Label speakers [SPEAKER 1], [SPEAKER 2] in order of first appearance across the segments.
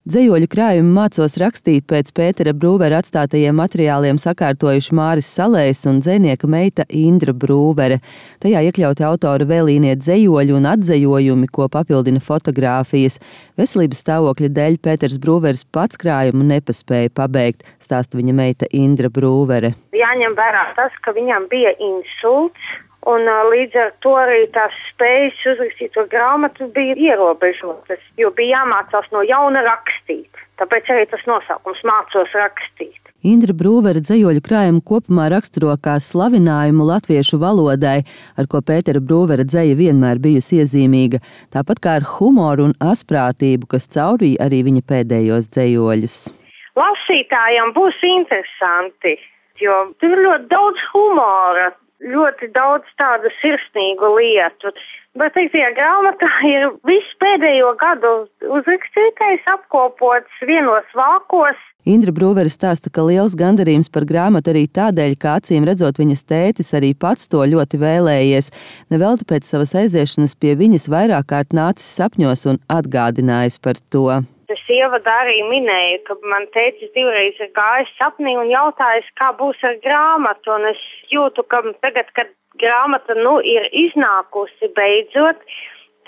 [SPEAKER 1] Dzejoļu krājumu Mācos rakstīt pēc Pētera Brūvera atstātajiem materiāliem sakārtojuši Māris Salējs un dzejnieka meita Indra Brūvere. Tajā iekļauti autora vēlīnie dzejoļi un atzejojumi, ko papildina fotogrāfijas. Veselības stāvokļa dēļ Pēters Brūveris pats krājumu nepaspēja pabeigt, stāsta viņa meita Indra Brūvere.
[SPEAKER 2] Jāņem vērā tas, ka viņam bija insults. Un līdz ar to arī tās spējas uzrakstīt to grāmatu bija ierobežotas, jo bija jāmācās no jauna rakstīt. Tāpēc arī tas nosaukums Mācos rakstīt.
[SPEAKER 1] Indra Brūvere dzejoļu krājumu kopumā raksturo kā slavinājumu latviešu valodai, ar ko Pētera Brūvera dzeja vienmēr bijusi iezīmīga, tāpat kā ar humoru un asprātību, kas caurīja arī viņa pēdējos dzejoļus.
[SPEAKER 2] Lasītājiem būs interesanti, jo tur ir ļoti daudz humora. Ļoti daudz tādu sirsnīgu lietu, bet tajā grāmatā ir viss pēdējo gadu uzrakstītais, apkopots vienos vākos.
[SPEAKER 1] Indra Brūvere stāsta, ka liels gandarījums par grāmatu arī tādēļ, ka acīm redzot viņas tētis arī pats to ļoti vēlējies. Nevelti pēc savas aiziešanas pie viņas vairāk kārt nācis sapņos un atgādinājis par to.
[SPEAKER 2] Es ievadā arī minēju, ka man tētis divreiz ir gājis sapnī un jautājis, kā būs ar grāmatu. Un es jūtu, ka tagad, kad grāmata ir iznākusi beidzot,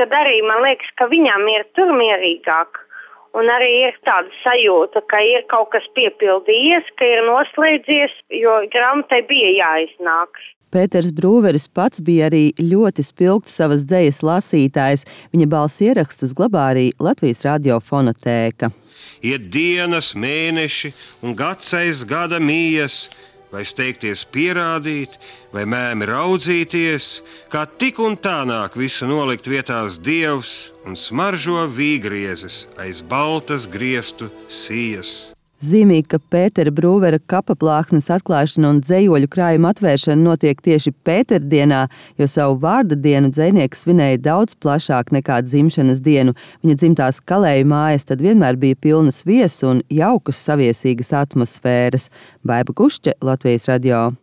[SPEAKER 2] tad arī man liekas, ka viņam ir tur mierīgāk. Un arī ir tāda sajūta, ka ir kaut kas piepildījies, ka ir noslēdzies, jo grāmatai bija jāiznāk.
[SPEAKER 1] Pēters Brūveris pats bija arī ļoti spilgts savas dzejas lasītājs. Viņa balss ierakstus glabā arī Latvijas radio fonotēka.
[SPEAKER 3] Iet dienas, mēneši un gads aiz gada mijas, vai steigties pierādīt, vai mēmi raudzīties, kā tik un tā nāk visu nolikt vietās Dievs un smaržo vīgriezes aiz baltas griestu sijas.
[SPEAKER 1] Zīmīgi, ka Pētera Brūvera kapaplāksnes atklāšana un dzejoļu krājuma atvēršana notiek tieši Pēterdienā, jo savu vārda dienu dzejnieks svinēja daudz plašāk nekā dzimšanas dienu. Viņa dzimtās Kalēju mājas tad vienmēr bija pilnas viesu un jaukas saviesīgas atmosfēras. Baiba Kušķe, Latvijas radio.